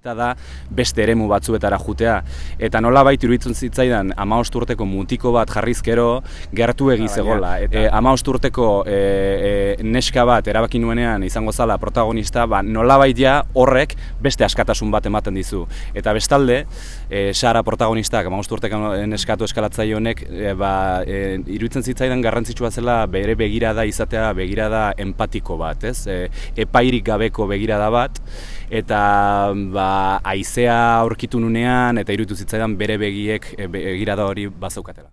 Erabilita da beste eremu batzuetara jutea. Eta nolabait iruditzen zitzaidan 15 urteko mutiko bat jarrizkero gertu zegola. 15 urteko neska bat erabaki nuenean izango zala protagonista, nolabait ja horrek beste askatasun bat ematen dizu. Eta bestalde, Sara protagonistak 15 urteko neskatu eskalatzaile honek iruditzen zitzaidan garrantzitsua zela bere begirada izatea begirada empatiko bat, ez? Epairik gabeko begirada bat, eta haizea aurkitu nunean eta iruditu zitzaidan bere begirada hori bazaukatela.